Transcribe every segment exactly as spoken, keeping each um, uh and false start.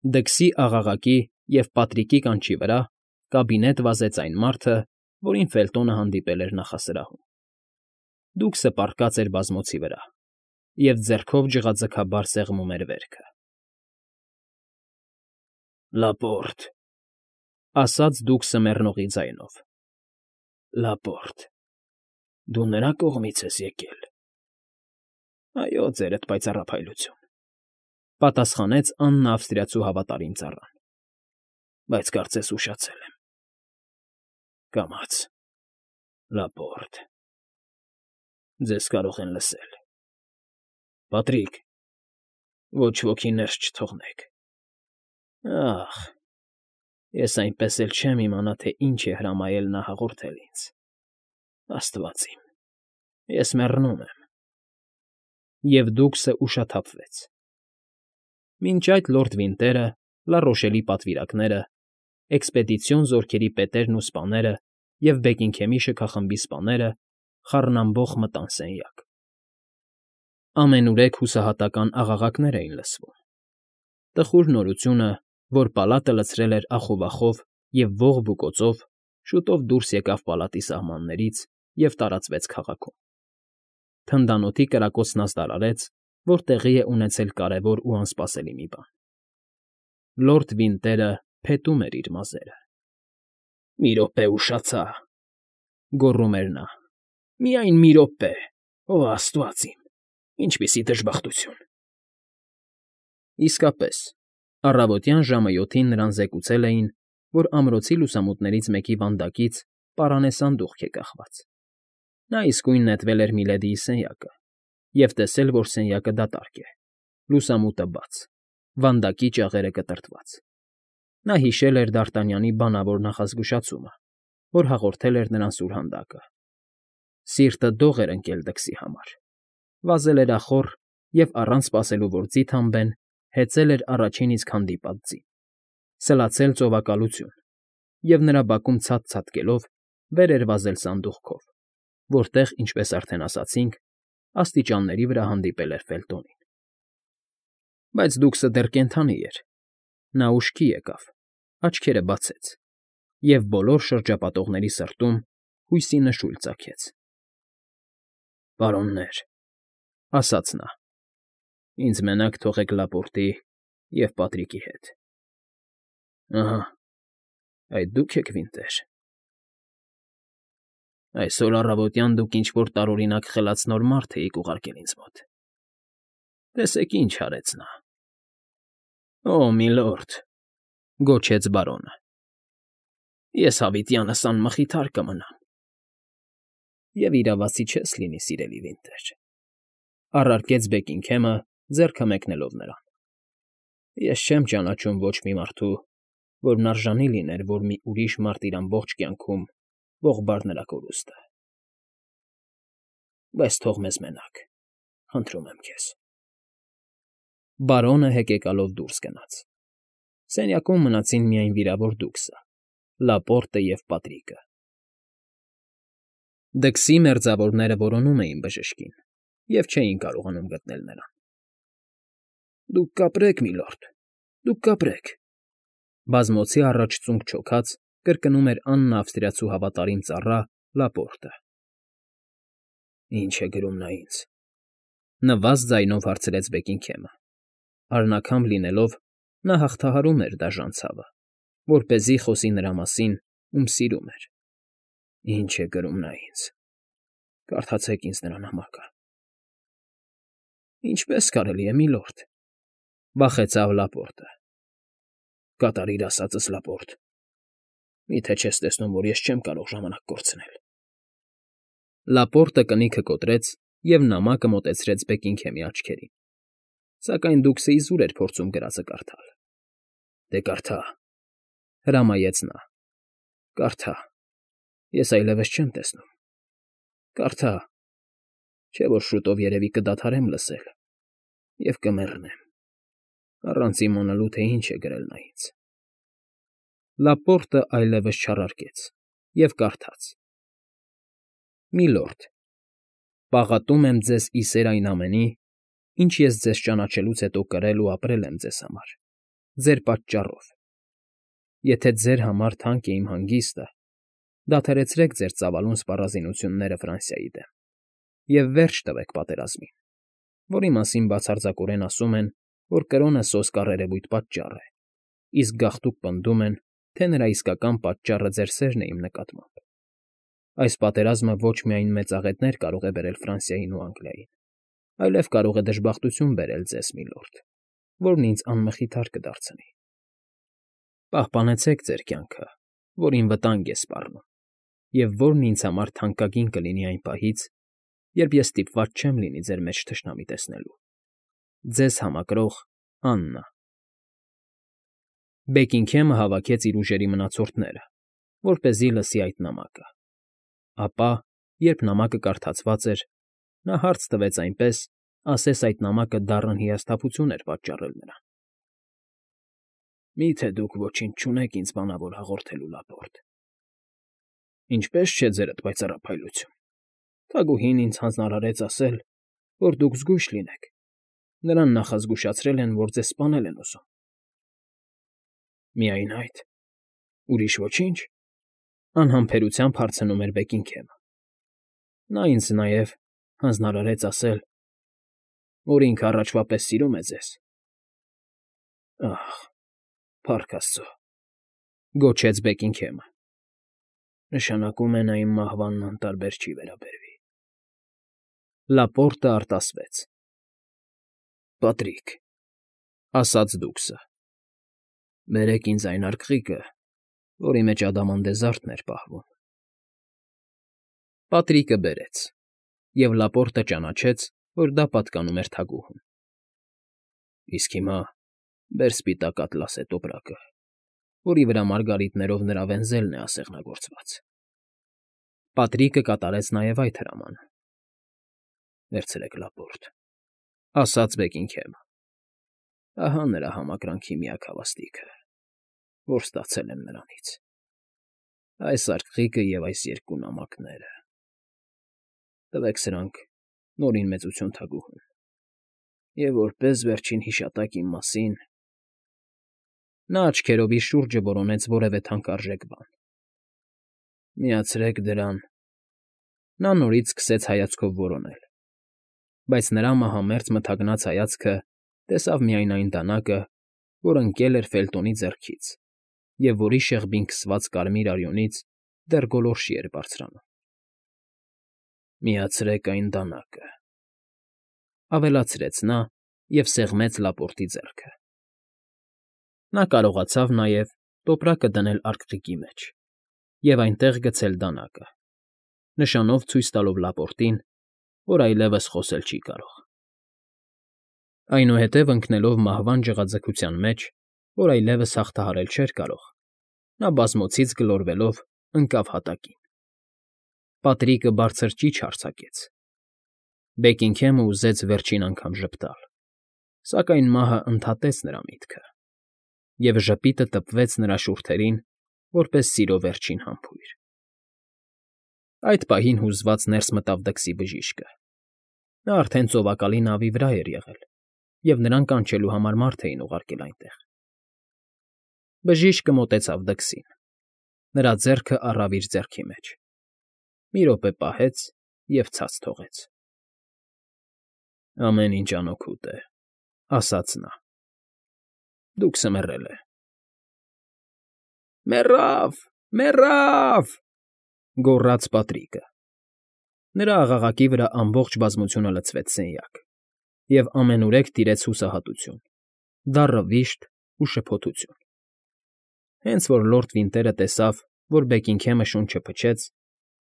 Դքսի աղաղակի և Պատրիկի կանչի վրա կաբինետ վազեց այն մարդը, որին Ֆելտոնը հանդիպել էր նախասրահում. դուքսը պառկած էր բազմոցի վրա և ձեռքով ջղաձգաբար սեղմում էր վերքը։ ֊ Լապորտ,֊ ասաց դուքսը մեռնողի ձայնով,֊ Լապորտ, դու նրա կողմից ես եկել։ ֊ Այո, ձերդ պայծառափայլություն,֊ պատասխանեց աննը ավստրիացու հավատարիմ ծառան,֊ բայց կարծես ուշացել եմ։ ֊ Կամաց, Լապորտ, ձեզ կարող են լսել։ Պատրիկ, ոչ ոքի ներս չթողնեք։ Ախ, ես այնպես էլ չեմ իմանա, թե ինչ է հրամայել նա հաղորդել ինձ… Աստված իմ, ես մեռնում եմ… Եվ դուքսը ուշաթափվեց։ Մինչ այդ լորդ Վինտերը, Լառոշելի պատվիրակները, էքսպեդիցիոն զորքերի պետերն ու սպաները և Բեքինգհեմի շքախմբի սպաները խառնամբոխ մտան սենյակ։ Ամենուրեք հուսահատական աղաղակներ էին լսվում։ Տխուր նորությունը, որ պալատը լցրել էր ախովախով և ողբույկոծով, շուտով դուրս եկավ պալատի սահմաններից և տարածվեց քաղաքում։ Թնդանոթի կրակոցն ազդարարեց, որ տեղի է ունեցել կարևոր ու անսպասելի մի բան. լորդ Վինտերը փետում էր իր մազերը։ ֊ Մի րոպե ուշացա,֊ գոռում էր նա,֊ միայն մի րոպե… Օ աստված իմ, ինչպիսի դժբախտություն… Իսկապես, առավոտյան ժամը յոթին նրան զեկուցել էին, որ ամրոցի լուսամուտներից մեկի վանդակից պարանե սանդուղք է կախված։ Նա իսկույն նետվել էր Միլեդիի սենյակը և տեսել, որ սենյակը դատարկ է, լուսամուտը բաց, վանդակի ճաղերը կտրտված։ Նա հիշել էր Դ'Արտանյանի բանավոր նախազգուշացումը, որ հաղորդել էր նրան սուրհանդակը։ Սիրտը դող էր ընկել դքսի համար, վազել էր ախոռ և, առանց սպասելու, որ ձիթ հանբեն, հեծել էր առաջին իսկ հանդիպած ձին, սլացել ծովակալություն և, նրա բակում ցած ցատկելով, վեր էր վազել սանդուղքով, որտեղ, ինչպես արդեն ասացինք, աստիճանների վրա հանդիպել էր Ֆելտոնին։ Բայց դուքսը դեռ կենդանի էր։ Նա ուշքի եկավ, աչքերը բացեց և բոլոր շրջապատողների սրտում հույսի նշույլ ծագեց։ ֊ Պարոններ,֊ ասաց նա,֊ ինձ մենակ թողեք Լապորտի և Պատրիկի հետ։ ֊ Ահա, այդ դու՞ք եք, Վինտեր… Այսօր առավոտյան դուք ինչ֊որ տարօրինակ խելաց նոր մարդ էիք ուղարկել ինձ մոտ… Տեսեք, ինչ արեց նա… ֊ Օ, միլորդ,֊ գոչեց բարոնը,֊ ես հավիտյանս անմխիթար կմնամ… Եվ իրավացի չես լինի, սիրելի Վինտեր,֊ առարկեց Բեքինգհեմը, ձեռքը մեկնելով նրան,֊ ես չեմ ճանաչում ոչ մի մարդու, որն արժանի լիներ, որ մի ուրիշ մարդ իր ամբողջ կյանքում ողբար նրա կորուստը… Բայց թող մեզ մենակ, խնդրում եմ քեզ… Բարոնը հեկեկալով դուրս գնաց։ Սենյակում մնացին միայն վիրավոր դուքսը, Լապորտը և Պատրիկը։ Դքսի մերձավորները որոնում էին բժշկին և չէին կարողանում գտնել նրան։ ֊ Դուք կապրեք, միլորդ, դուք կապրեք,֊ բազմոցի առաջ ծունկ չոքած կրկնում էր աննը ավստրիացու հավատարիմ ծառա Լապորտը։ ֊ Ի՞նչ է գրում նա ինձ,֊ նվազ ձայնով հարցրեց Բեքինգհեմը. արնաքամբ լինելով, նա հաղթահարում էր դաժան ցավը, որպեսզի խոսի նրա մասին, ում սիրում էր։ ֊ Ի՞նչ է գրում նա ինձ… Կարդացեք ինձ նրա նամակը… ֊ Ինչպե՞ս կարելի է, միլորդ,֊ վախեցավ Լապորտը։ ֊ Կատարիր ասածս, Լապորտ… Մի՞թե չես տեսնում, որ ես չեմ կարող ժամանակ կորցնել… Լապորտը կնիքը կոտրեց և նամակը մոտեցրեց Բեքինգհեմի աչքերին, սակայն դուքսը իզուր էր փորձում գրածը կարդալ։ ֊ Դե կարդա,֊ հրամայեց նա,֊ կարդա, ես այլևս չեմ տեսնում… Կարդա, չէ՞ որ շուտով երևի կդադարեմ լսել և կմեռնեմ, առանց իմանալու, թե ինչ է գրել նա ինձ… Լապորտը այլևս չառարկեց և կարդաց. Միլորդ, պաղատում եմ ձեզ ի սեր այն ամենի, ինչ ես ձեզ ճանաչելուց հետո կրել ու ապրել եմ ձեզ համար։ ձեր պատճառով։ Եթե ձեր համար թանկ է իմ հանգիստը, դադարեցրեք ձեր ծավալուն սպառազինությունները Ֆրանսիայի դեմ և վերջ տվեք պատերազմին, որի մասին բացարձակորեն ասում են, որ կրոնը սոսկ առերևույթ պատճառ է, իսկ գաղտուկ պնդում են, թե նրա իսկական պատճառը ձեր սերն է իմ նկատմամբ։ Այս պատերազմը ոչ միայն մեծաղետներ կարող է բերել Ֆրանսիային ու Անգլիային, այլև կարող է դժբախտություն բերել ձեզ, միլորդ, որն ինձ անմխիթար կդարձնի։ Պահպանեցեք ձեր կյանքը, որին վտանգ է սպառնում, և որն ինձ համար թանկագին կլինի այն պահից, երբ ես ստիպված չեմ լինի ձեր մեջ թշնամի տեսնելու։ Ձեզ համակրող Աննա։ Բեքինգհեմը հավաքեց իր ուժերի մնացորդները, որպեսզի լսի այդ նամակը։ Ապա, երբ նամակը կարդացված էր, նա հարց տվեց այնպես, ասես այդ նամակը դառն հիասթափություն էր պատճառել նրան։ Մի՞թե դուք ոչինչ չունեք ինձ բանավոր հաղորդելու, Լապորտ։ Ինչպե՞ս չէ ձերդ պայծառափայլություն։ Թագուհին ինձ հանձնարարեց ասել, որ դուք զգույշ լինեք։ Նրան նախազգուշացրել են, որ ձեզ սպանել են ուզում։ Միայն այդ։ Ուրիշ ոչինչ, անհամբերությամբ հարցնում էր Բեքինգհեմը։ Նա ինձ նաև հանձնարարեց ասել, որ ինքը առաջվա պես սիրում է ձեզ։ Ահ, փառք Աստծո, գոչեց Բեքինգհեմը։ Նշանակում է նա իմ մահվանն անտարբեր չի վերաբերվի։ Լապորտը արտասվեց։ Պատրիկ, ասաց դուքսը, բերեք ինձ այն արկղիկը, որի մեջ ադամանդեզարդն էր պահվում։ Պատրիկը բերեց, և Լապորտը ճանաչեց, որ դա պատկանում էր թագուհուն։ Իսկ հիմա բեր սպիտակ ատլասե տոպրակը, որի վրա մարգարիտներով նրա վենզելն է ասեղնագործված։ Պատրիկը կատարեց նաև այդ հրամանը։ Վերցրեք, Լապորտ, ասաց Բեքինգհեմը։ Ահա նրա համակրանքի միակ հավաստիքը, որ ստացել եմ նրանից։ Այս արկղիկը և այս երկու նամակները։ Տվեք սրանք Նորին Մեծություն թագուհուն, և որպես վերջին հիշատակ իմ մասին… Նա աչքերով իր շուրջը որոնեց որևէ թանկարժեք բան։ Միացրեք դրան… Նա նորից սկսեց հայացքով որոնել, բայց նրա մահամերձ մթագնած հայացքը տեսավ միայն այն դանակը, որ ընկել էր Ֆելտոնի ձեռքից և որի շեղբին քսված կարմիր արյունից դեռ գոլորշի էր բարձրանում։ Միացրեք այն դանակը, ավելացրեց նա և սեղմեց Լապորտի ձեռքը։ Նա կարողացավ նաև տոպրակը դնել արկղիկի մեջ և այնտեղ գցել դանակը, նշանով ցույց տալով Լապորտին, որ այլևս խոսել չի կարող։ Այնուհետև ընկնելով մահվան ջղաձգության մեջ, որ այլևս հաղթահարել չէր կարող, նա բազմոցից գլորվելով ընկավ հատակին։ Պատրիկը բարձր ճիչ արձակեց։ Բեքինգհեմը ուզեց վերջին անգամ ժպտալ, սակայն մահը ընդհատեց նրա միտքը, և ժպիտը տպվեց նրա շուրթերին, որպես սիրո վերջին համբույր։ Այդ պահին հուզված ներս մտավ դքսի բժիշկը։ Նա արդեն ծովակալի նավի վրա էր եղել, և նրան կանչելու համար մարդ էին ուղարկել այնտեղ։ Բժիշկը մոտեցավ դքսին։ Նրա ձեռքը առավ իր ձեռքի մեջ։ Մի րոպե պահեց և ցած թողեց։ Ամեն ինչ անօգուտ է, ասաց նա։ Դուքսը մեռել է։ Մեռավ, մեռավ, գոռաց Պատրիկը։ Նրա աղաղակի վրա ամբողջ բազմությունը լցվեց սենյակ, և ամենուրեք տիրեց հուսահատություն, դառը վիշտ ու շփոթություն։ Հենց որ լորդ Վինտերը տեսավ, որ Բեքինգհեմը շունչը փչեց,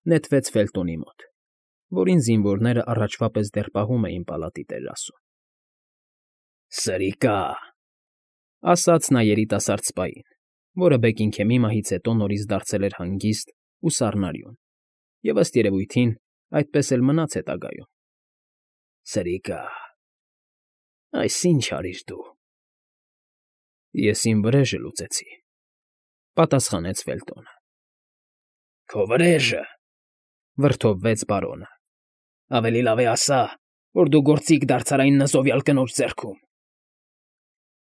նետվեց Ֆելտոնի մոտ, որին զինվորները առաջվա պես դեռ պահում էին պալատի տերասում։ Սրիկա՜… ասաց նա երիտասարդ սպային, որը Բեքինգհեմի մահից հետո նորից դարձել էր հանգիստ ու սառնարյուն և, ըստ երևույթին, այդպես էլ մնաց հետագայում։ Սրիկա՜… Այս ի՞նչ արիր դու։ Ես իմ վրեժը լուծեցի, պատասխանեց Ֆելտոնը։ Քո վրեժը…֊ վրդովվեց բարոնը։ Ավելի լավ է ասա, որ դու գործիք դարձար այն նզովյալ կնոջ ձեռքում։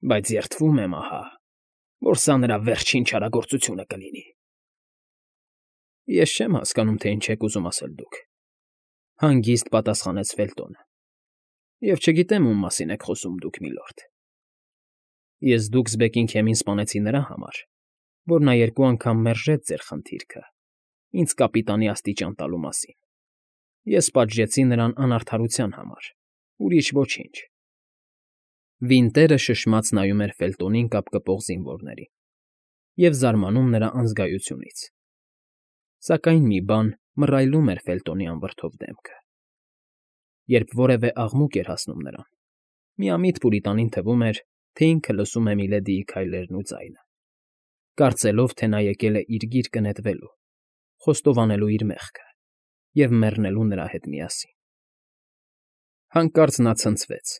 Բայց երդվում եմ, ահա, որ սա նրա վերջին չարագործությունը կլինի։ ֊ Ես չեմ հասկանում, թե ինչ եք ուզում ասել դուք,֊ հանգիստ պատասխանեց Ֆելտոնը,֊ և չգիտեմ ում մասին եք խոսում դուք, միլորդ։ Ես Դուքսբեկին քեմին սպանեցի նրա համար, որ նա երկու անգամ մերժեց ձեր խնդիրքը, ինձ կապիտանի աստիճան տալու մասին. ես պատժեցի նրան անարդարության համար, ուրիշ ոչինչ։ Վինտերը շշմաց նայում էր Ֆելտոնին կապկպող զինվորներին և զարմանում նրա անզգայությունից, սակայն մի բան մռայլում էր Ֆելտոնի անվրդով դեմքը։ Երբ որևէ աղմուկ էր հասնում նրան, միամիտ Պուրիտանին թվում էր, թե ինքը լսում է միլեդիի քայլերն ու ձայնը, կարծելով, թե նա եկել է իր գիրկը նետվելու, խոստովանելու իր մեղքը և մեռնելու նրա հետ միասին։ Հանկարծ նա ցնցվեց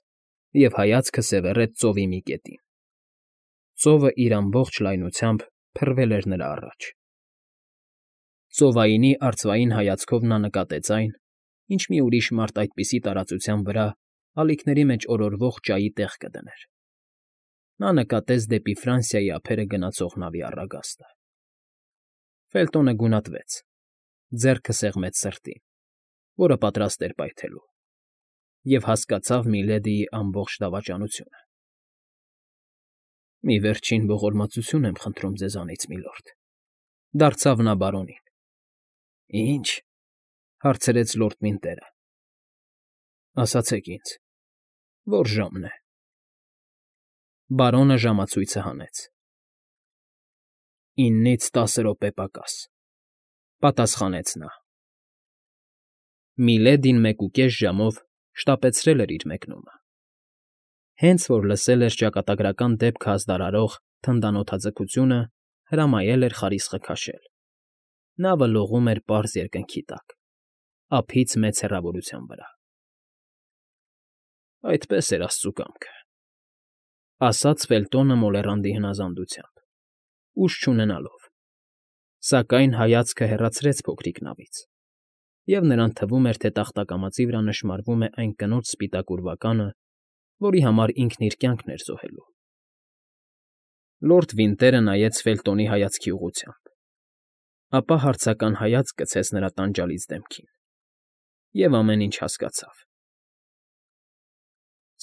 և հայացքը սևեռեց ծովի մի կետին։ Ծովը իր ամբողջ լայնությամբ փռվել էր նրա առաջ։ Ծովայինի արծվային հայացքով նա նկատեց այն, ինչ մի ուրիշ մարդ այդպիսի տարածության վրա ալիքների մեջ օրորվող ջայի տեղ կդներ։ Նա նկատեց դեպի Ֆրանսիայի ափերը գնացող նավի առագաստը։ Ֆելտոնը գունատվեց, ձեռքը սեղմեց սրտին, որը պատրաստ էր պայթելու, և հասկացավ միլեդիի ամբողջ դավաճանությունը։ ֊ Մի վերջին ողորմածություն եմ խնդրում ձեզանից, միլորդ,֊ դարձավ նա բարոնին։ ֊ Ի՞նչ,֊ հարցրեց լորդ Վինտերը։ ֊ Ասացեք ինձ, ո՞ր ժամն է։ Բարոնը ժամացույցը հանեց։ ֊ Իննից տասը րոպե պակաս,֊ պատասխանեց նա։ Միլեդին մեկուկես ժամով շտապեցրել էր իր մեկնումը։ Հենց որ լսել էր ճակատագրական դեպքը ազդարարող թնդանոթաձգությունը, հրամայել էր խարիսխը քաշել։ Նավը լողում էր պարզ երկնքի տակ, ափից մեծ հեռավորության վրա։ «Այդպես էր աստծու կամքը,֊ ասաց Ֆելտոնը մոլեռանդի հնազանդությամբ, ուժ չունենալով, սակայն հայացքը հեռացրեց փոքրիկ նավից, և նրան թվում էր, թե տախտակամածի վրա նշմարվում է այն կնոջ սպիտակ ուրվականը, որի համար ինքն իր կյանքն էր զոհելու։ Լորդ Վինտերը նայեց Ֆելտոնի հայացքի ուղղությամբ, ապա հարցական հայացք գցեց նրա տանջալից դեմքին և ամեն ինչ հասկացավ։ ֊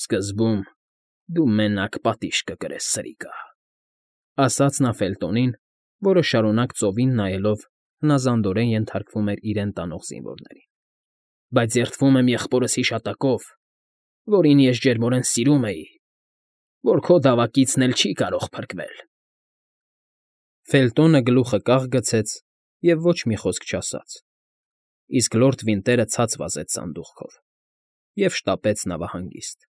Սկզբում դու մենակ պատիժ կկրես, սրիկա,֊ ասաց նա Ֆելտոնին, որը շարունակ ծովին նայելով հնազանդորեն ենթարկվում էր իրեն տանող զինվորներին,֊ բայց երդվում եմ եղբորս հիշատակով, որին ես ջերմորեն սիրում էի, որ քո դավակիցն էլ չի կարող փրկվել։ Ֆելտոնը գլուխը կախ գցեց և ոչ մի խոսք չասաց, իսկ լորդ Վինտերը ցած վազեց սանդուղքով և շտապեց նավահանգիստ։